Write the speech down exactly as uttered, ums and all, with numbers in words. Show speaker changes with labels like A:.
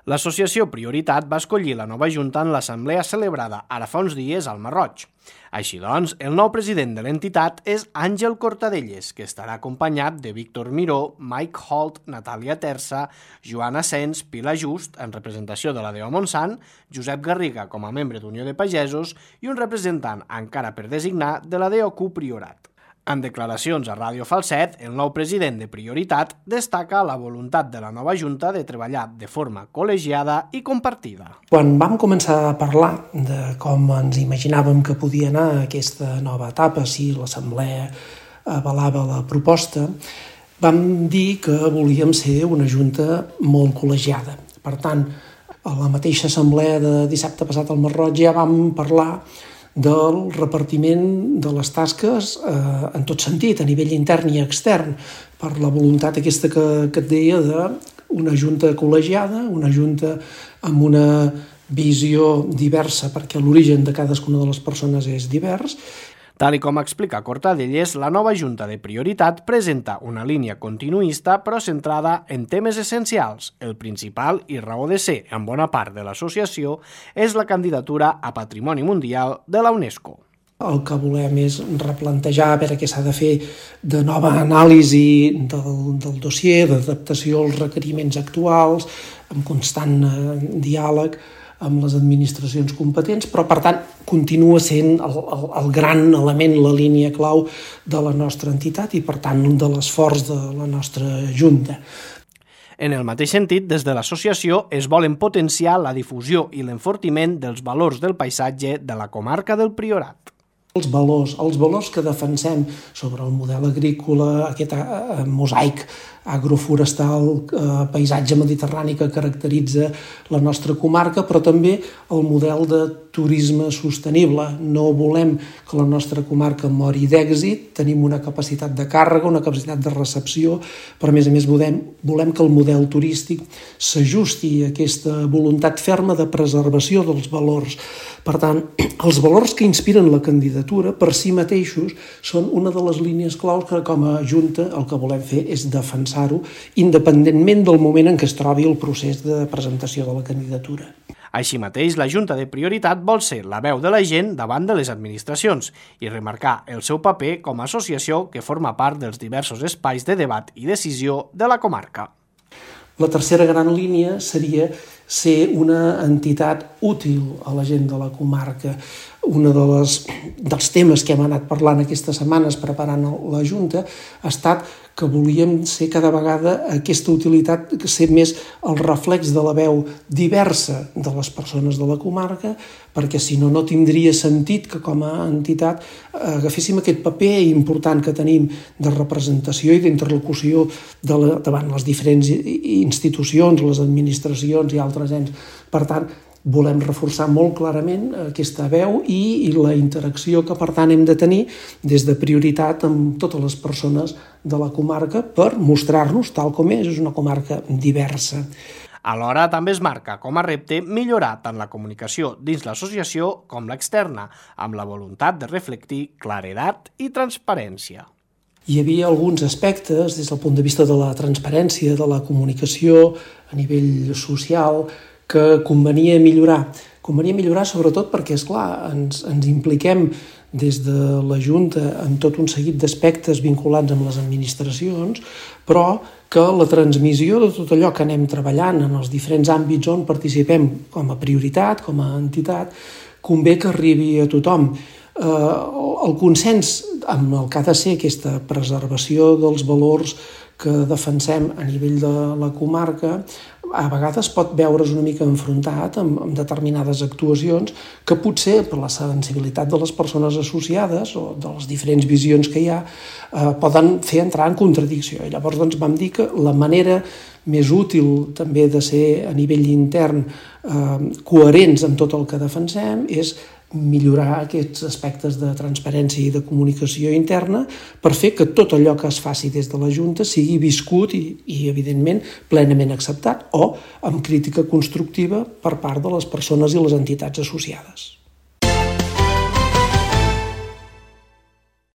A: L'associació Prioritat va escollir la nova junta en l'assemblea celebrada ara fa uns dies al Masroig. Així doncs, el nou president de l'entitat és Àngel Cortadelles, que estarà acompanyat de Víctor Miró, Mike Holt, Natàlia Terça, Joan Asens, Pilar Just, en representació de la D O Montsant, Josep Garriga com a membre d'Unió de Pagesos i un representant encara per designar de la D O Q Priorat. En declaracions a Ràdio Falset, el nou president de Prioritat destaca la voluntat de la nova Junta de treballar de forma col·legiada i compartida.
B: Quan vam començar a parlar de com ens imaginàvem que podia anar aquesta nova etapa, si l'Assemblea avalava la proposta, vam dir que volíem ser una Junta molt col·legiada. Per tant, a la mateixa Assemblea de dissabte passat al Masroig ja vam parlar del repartiment de les tasques eh, en tot sentit, a nivell intern i extern, per la voluntat aquesta que, que et deia d'una junta col·legiada, una junta amb una visió diversa, perquè l'origen de cadascuna de les persones és divers.
A: Tal i com explica Cortadelles, la nova Junta de Prioritat presenta una línia continuista però centrada en temes essencials. El principal i raó de ser en bona part de l'associació és la candidatura a Patrimoni Mundial de la UNESCO.
B: El que volem és replantejar a veure què s'ha de fer de nova anàlisi del, del dossier, d'adaptació als requeriments actuals, amb constant eh, diàleg amb les administracions competents, però per tant continua sent el, el, el gran element, la línia clau de la nostra entitat i per tant de l'esforç de la nostra Junta.
A: En el mateix sentit, des de l'associació es volen potenciar la difusió i l'enfortiment dels valors del paisatge de la comarca del Priorat.
B: Els valors, els valors que defensem sobre el model agrícola, aquest eh, mosaic agroforestal, eh, paisatge mediterrani que caracteritza la nostra comarca, però també el model de turisme sostenible. No volem que la nostra comarca mori d'èxit, tenim una capacitat de càrrega, una capacitat de recepció, però a més a més volem, volem que el model turístic s'ajusti a aquesta voluntat ferma de preservació dels valors. Per tant, els valors que inspiren la candidatura per si mateixos són una de les línies claus que com a Junta el que volem fer és defensar-ho independentment del moment en què es trobi el procés de presentació de la candidatura.
A: Així mateix, la Junta de Prioritat vol ser la veu de la gent davant de les administracions i remarcar el seu paper com a associació que forma part dels diversos espais de debat i decisió de la comarca.
B: La tercera gran línia seria ser una entitat útil a la gent de la comarca. Un de les, dels temes que hem anat parlant aquestes setmanes preparant la Junta ha estat que volíem ser cada vegada aquesta utilitat, ser més el reflex de la veu diversa de les persones de la comarca, perquè si no, no tindria sentit que com a entitat agaféssim aquest paper important que tenim de representació i d'interlocució de la, davant les diferents institucions, les administracions i altres ens. Per tant, volem reforçar molt clarament aquesta veu i, i la interacció que, per tant, hem de tenir des de Prioritat amb totes les persones de la comarca per mostrar-nos tal com és, és una comarca diversa.
A: Alhora, també es marca com a repte millorar tant la comunicació dins l'associació com l'externa, amb la voluntat de reflectir claredat i transparència.
B: Hi havia alguns aspectes des del punt de vista de la transparència, de la comunicació a nivell social, que convenia millorar. Convenia millorar sobretot perquè, esclar, ens, ens impliquem des de la Junta en tot un seguit d'aspectes vinculats amb les administracions, però que la transmissió de tot allò que anem treballant en els diferents àmbits on participem com a prioritat, com a entitat, convé que arribi a tothom. Eh, el consens amb el que ha de ser aquesta preservació dels valors que defensem a nivell de la comarca a vegades pot veure's una mica enfrontat amb, amb determinades actuacions que potser per la sensibilitat de les persones associades o de les diferents visions que hi ha eh, poden fer entrar en contradicció. I llavors doncs, vam dir que la manera més útil també de ser a nivell intern eh, coherents amb tot el que defensem és millorar aquests aspectes de transparència i de comunicació interna per fer que tot allò que es faci des de la Junta sigui viscut i, i evidentment, plenament acceptat o amb crítica constructiva per part de les persones i les entitats associades.